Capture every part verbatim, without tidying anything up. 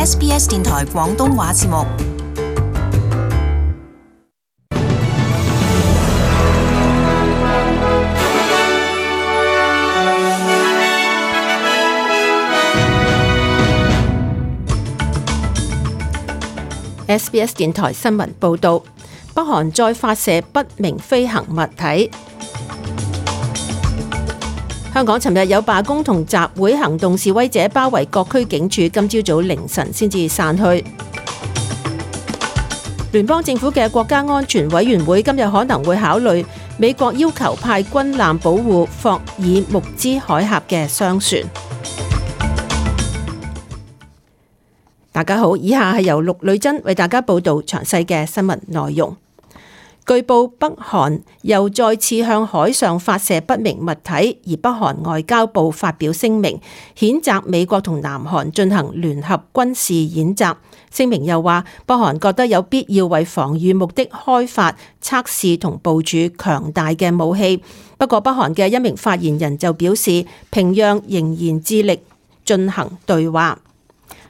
S B S 電台廣東話節目。S B S 電台新聞報導，北韓再發射不明飛行物體。香港尋日有罷工同集會行動，示威者包圍各區警署，今朝早凌晨先至散去。聯邦政府嘅國家安全委員會今日可能會考慮美國要求派軍艦保護霍爾木茲海峽嘅商船。大家好，以下係由陸女珍為大家報道詳細嘅新聞內容。據報北韓又再次向海上發射不明物體，而北韓外交部發表聲明，譴責美國同南韓進行聯合軍事演習。聲明又話，北韓覺得有必要為防禦目的開發、測試同部署強大嘅武器。不過，北韓嘅一名發言人就表示，平壤仍然致力進行對話。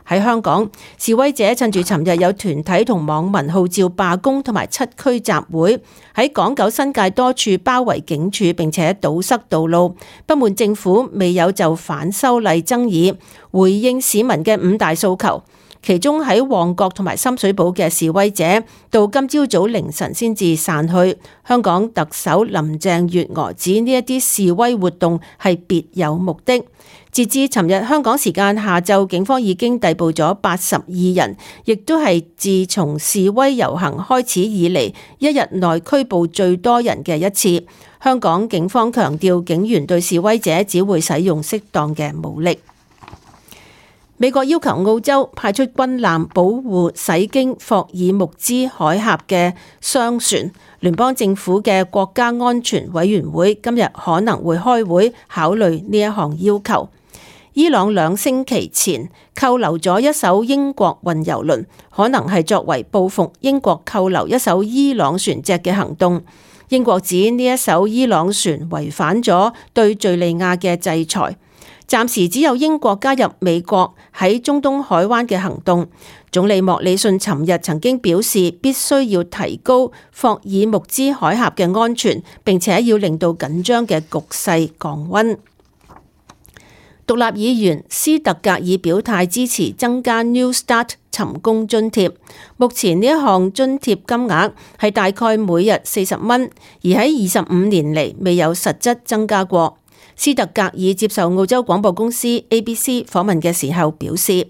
喺香港，示威者趁住尋日有團體同網民號召罷工同埋七區集會，喺港九新界多處包圍警署並且堵塞道路，不滿政府未有就反修例爭議回應市民嘅五大訴求。其中喺旺角同埋深水埗嘅示威者，到今朝早凌晨先至散去。香港特首林鄭月娥指呢一啲示威活動係別有目的。截至尋日香港時間下晝，警方已經逮捕咗八十二人，亦都係自從示威遊行開始以嚟一日內拘捕最多人嘅一次。香港警方強調，警員對示威者只會使用適當嘅武力。美國要求澳洲派出軍艦保護駛經霍爾木茲海峽嘅商船。聯邦政府嘅國家安全委員會今日可能會開會考慮呢一項要求。伊朗兩星期前扣留咗一艘英國運油輪，可能係作為報復英國扣留一艘伊朗船隻嘅行動。英國指呢一艘伊朗船違反咗對敘利亞嘅制裁。暫時只有英國加入美國喺中東海灣嘅行動。總理莫里遜尋日曾經表示，必須要提高霍爾木茲海峽嘅安全，並且要令到緊張嘅局勢降溫。獨立議員斯特格爾表態支持增加 New Start 尋工津貼。目前呢一項津貼金額係大概每日四十蚊，而喺二十五年嚟未有實質增加過。斯特格爾接受澳洲廣播公司 A B C 訪問嘅時候表示，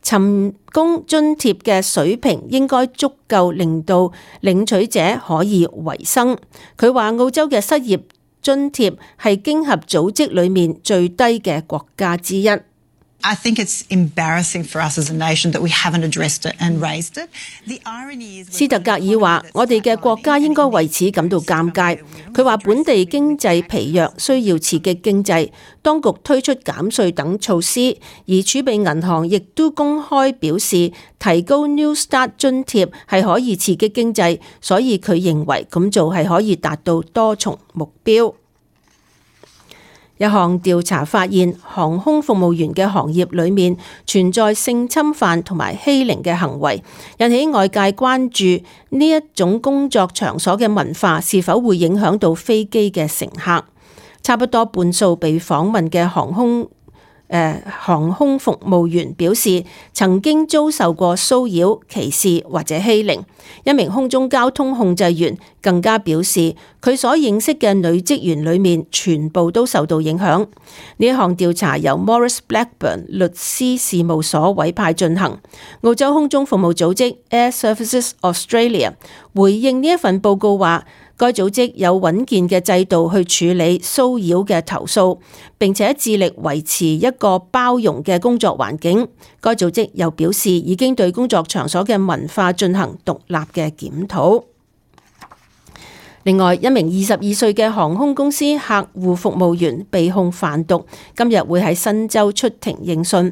尋工津貼嘅水平應該足夠令到領取者可以維生。佢話澳洲嘅失業津貼係經合組織裏面最低嘅國家之一。I think it's embarrassing for us as a nation that we haven't addressed it and raised it. The irony is 斯特格爾話：我哋嘅國家應該為此感到尷尬。佢話本地經濟疲弱，需要刺激經濟，當局推出減稅等措施，而儲備銀行亦都公開表示提高 New Start 津貼係可以刺激經濟，所以佢認為咁做係可以達到多重目標。一項調查發現，航空服務員嘅行業裏面存在性侵犯同埋欺凌嘅行為，引起外界關注呢一種工作場所嘅文化是否會影響到飛機嘅乘客。差不多半數被訪問嘅航空誒航空服務員表示，曾經遭受過騷擾、歧視或者欺凌。一名空中交通控制員更加表示，佢所認識嘅女職員裏面全部都受到影響。呢一項調查由 Maurice Blackburn 律師事務所委派進行。澳洲空中服務組織 Air Services Australia 回應呢一份報告話，該組織有穩健嘅制度去處理騷擾嘅投訴，並且致力維持一個包容嘅工作環境。該組織又表示，已經對工作場所嘅文化進行獨立嘅檢討。另外，一名二十二歲嘅航空公司客戶服務員被控販毒，今日會喺新州出庭應訊。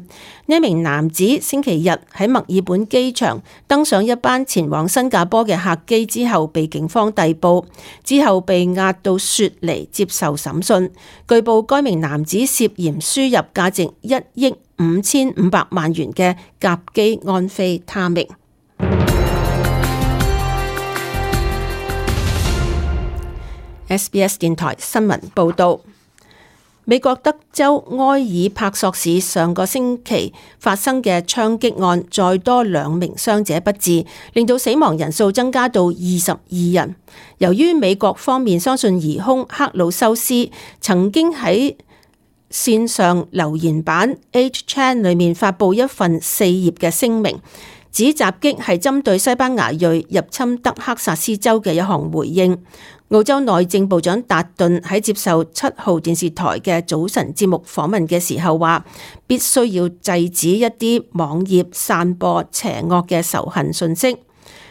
呢一名男子星期日喺墨爾本機場登上一班前往新加坡嘅客機之後，被警方逮捕，之後被押到雪梨接受審訊。據報該名男子涉嫌輸入價值一億五千五百萬元嘅甲基安非他命。S B S 電台新聞報道，美國德州埃爾帕索市上個星期發生嘅槍擊案，再多兩名傷者不治，令到死亡人數增加到二十二人。由於美國方面相信疑兇克魯修斯曾經喺線上留言板 H Chan 裏面發布一份四頁嘅聲明，指襲擊係針對西班牙裔入侵德克薩斯州嘅一項回應。澳洲內政部長達頓喺接受七號電視台嘅早晨節目訪問嘅時候話，必須要制止一啲網頁散播邪惡嘅仇恨訊息。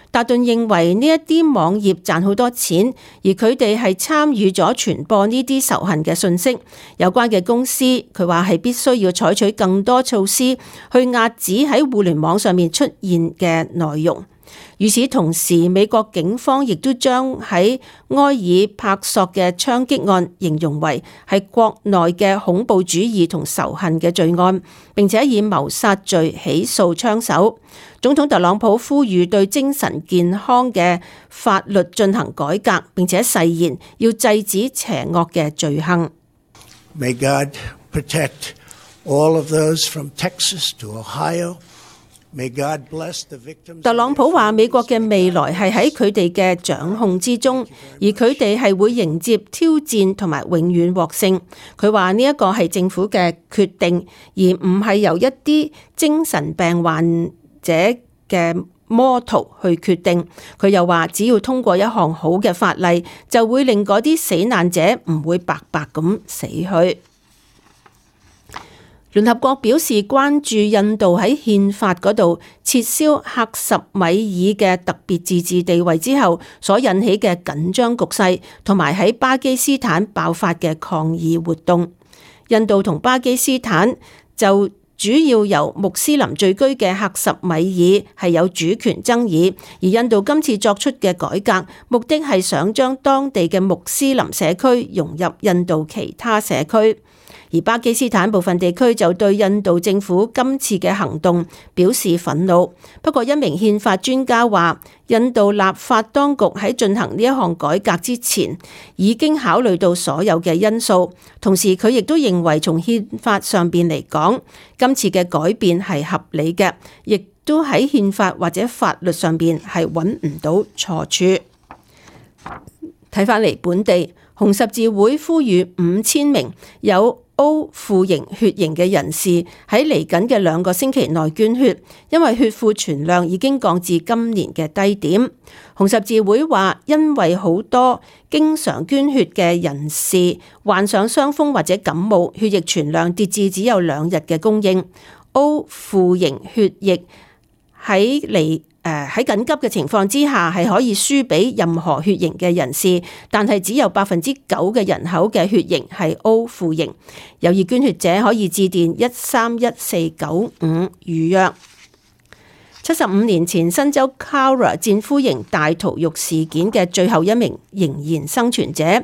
達頓認為呢一啲網頁賺好多錢，而佢哋係參與咗傳播呢啲仇恨嘅訊息。有關嘅公司，佢話係必須要採取更多措施去遏止喺互聯網上面出現嘅內容。與此同時，美國警方亦都將喺埃爾帕索嘅槍擊案形容為係國內嘅恐怖主義同仇恨嘅罪案，並且以謀殺罪起訴槍手。總統特朗普呼籲對精神健康嘅法律進行改革，並且誓言要制止邪惡嘅罪行。May God protect all of those from Texas to Ohio.特朗普話：美國嘅未來係喺佢哋嘅掌控之中，而佢哋係會迎接挑戰同埋永遠獲勝。佢話呢一個係政府嘅決定，而唔係由一啲精神病患者嘅魔徒去決定。佢又話：只要通過一項好嘅法例，就會令嗰啲死難者唔會白白咁死去。聯合國表示關注印度喺憲法嗰度撤銷克什米爾嘅特別自治地位之後所引起嘅緊張局勢，同埋喺巴基斯坦爆發嘅抗議活動。印度同巴基斯坦就主要由穆斯林聚居嘅克什米爾係有主權爭議，而印度今次作出嘅改革，目的係想將當地嘅穆斯林社區融入印度其他社區。而巴基斯坦部分地區就對印度政府今次嘅行動表示憤怒。不過一名憲法專家話，印度立法當局喺進行呢一項改革之前，已經考慮到所有嘅因素。同時佢亦都認為從憲法上邊嚟講，今次嘅改變係合理嘅，亦都喺憲法或者法律上邊係揾唔到錯處。睇返嚟本地，紅十字會呼籲五千名有 O 負型血型嘅人士喺嚟緊嘅兩個星期內捐血，因為血庫存量已經降至今年嘅低點。紅十字會話，因為好多經常捐血嘅人士患上傷風或者感冒，血液存量跌至只有兩日嘅供應。O 負型血液喺嚟誒喺緊急嘅情況之下係可以輸俾任何血型嘅人士，但係只有百分之九嘅人口嘅血型係 O 負型。有意捐血者可以致電一三一四九五預約。七十五年前新州 Cowra 戰俘營大屠戮事件嘅最後一名仍然生存者，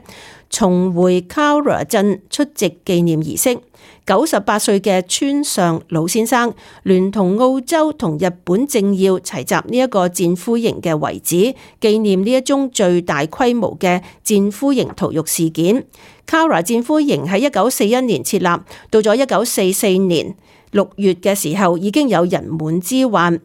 重回 Cowra 鎮出席紀念儀式。九十八歲嘅村上老先生聯同澳洲同日本政要齊集呢一個戰俘營嘅遺址，紀念呢一宗最大規模嘅戰俘營屠戮事件。Cowra 戰俘營喺一九四一年設立，到咗一九四四年六月嘅時候已經有人滿之患。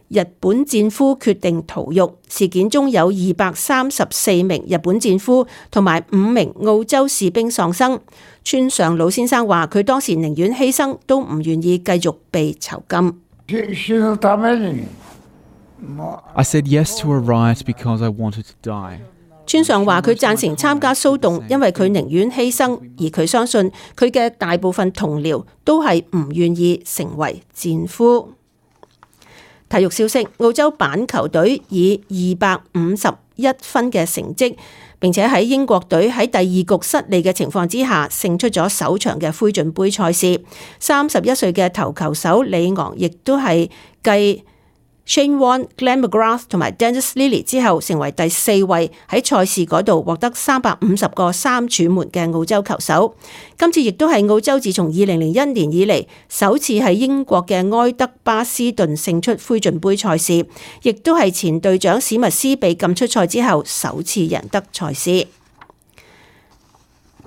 日本戰俘決定逃獄，事件中有二百三十四名日本戰俘同埋五名澳洲士兵喪生。村上老先生話：佢當時寧願犧牲，都唔願意繼續被囚禁。I said yes to a riot because I wanted to die. 村上話：佢贊成參加騷動，因為佢寧願犧牲，而佢相信佢嘅大部分同僚都係唔願意成為戰俘。體育消息：澳洲板球隊以二百五十一分嘅成績，並且喺英國隊喺第二局失利嘅情況之下，勝出咗首場嘅灰燼杯賽事。三十一歲嘅頭球手李昂亦都係繼 Shane Warne、Glenn McGrath 同埋 Dennis Lilly 之後，成為第四位喺賽事嗰度獲得三百五十個三柱門嘅澳洲球手。今次亦都係澳洲自從二零零一年以嚟首次喺英國嘅埃德巴斯頓勝出灰燼杯賽事，亦都係前隊長史密斯被禁出賽之後首次贏得賽事。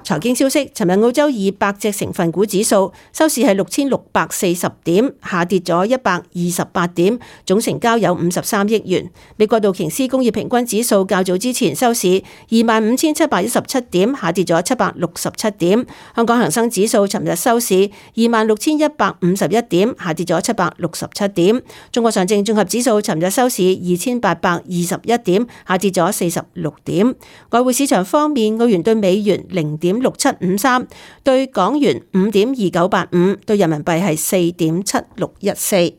財經消息，尋日澳洲二百隻成分股指數收市係六千六百四十點，下跌咗一百二十八點，總成交有五十三億元。美國道瓊斯工業平均指數較早之前收市二萬五千七百一十七點，下跌咗七百六十七點。香港恒生指數尋日收市二萬六千一百五十一點，下跌咗七百六十七點。中國上證綜合指數尋日收市二千八百二十一點，下跌咗四十六點。外匯市場方面，澳元對美元零點六七五三，對港元五點二九八五，對人民幣係四點七六一四。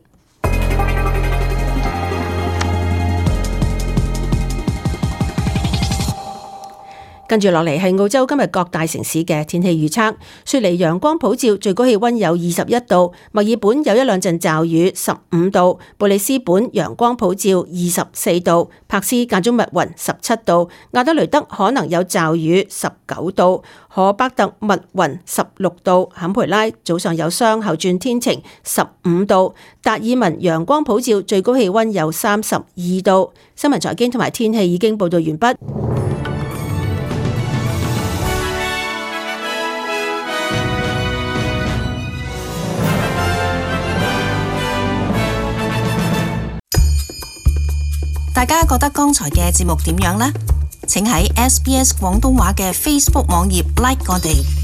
跟住落嚟係澳洲今日各大城市嘅天氣預測。雪梨陽光普照，最高氣溫有二十一度；墨爾本有一兩陣驟雨，十五度；布里斯本陽光普照，二十四度；柏斯間中密雲，十七度；亞德雷德可能有驟雨，十九度；荷伯特密雲，十六度；坎培拉早上有霜後轉天晴，十五度；達爾文陽光普照，最高氣溫有三十二度。新聞財經同埋天氣已經報道完畢。大家覺得剛才嘅節目點樣呢？請喺 S B S 廣東話嘅 Facebook 網頁 like 我哋。